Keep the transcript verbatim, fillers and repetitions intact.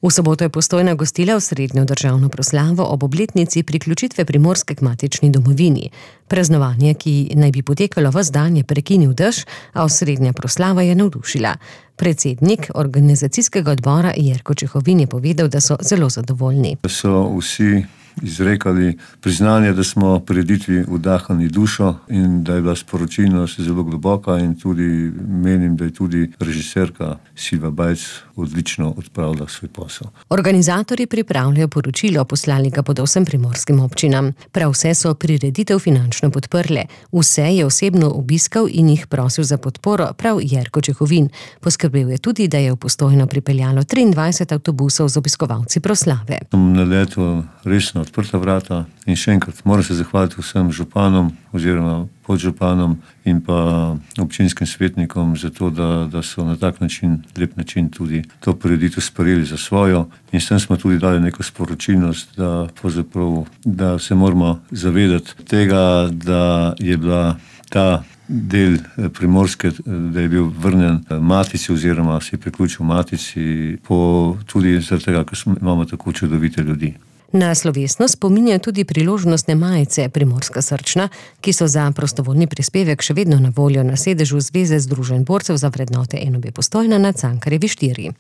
V soboto je Postojna gostila osrednjo državno proslavo ob obletnici priključitve Primorske k matični domovini. Praznovanje, ki naj bi potekalo ves dan, je prekinil dež, a osrednja proslava je navdušila. Predsednik organizacijskega odbora Jerko Čehovin je povedal, da so zelo zadovoljni. So vsi izrekali priznanje, da smo prireditvi vdahnili dušo in da je bila sporočilnost zelo globoka, in tudi menim, da je tudi režiserka Silva Bajc odlično odpravila svoj posel. Organizatorji pripravljajo poročilo, poslali ga bodo vsem primorskim občinam. Prav vse so prireditev finančno podprle. Vse je osebno obiskal in jih prosil za podporo prav Jerko Čehovin. Poskrbel je tudi, da je v Postojno pripeljalo triindvajset avtobusov z obiskovalci proslave. Sem naletel resno odprta vrata in še enkrat moram se zahvaliti vsem županom oziroma podžupanom in pa občinskim svetnikom za to, da, da so na tak način, lep način tudi to prireditev sprejeli za svojo, in s tem smo tudi dali neko sporočilnost, da, da se moramo zavedati tega, da je bila ta del Primorske, da je bil vrnjen matici oziroma se je priključil matici, po, tudi zaradi tega, ker imamo tako čudovite ljudi. Na slovesnost spominjajo tudi priložnostne majice Primorska srčna, ki so za prostovoljni prispevek še vedno na voljo na sedežu Zveze združenj borcev za vrednote en ob Postojna na Cankarjevi štiri.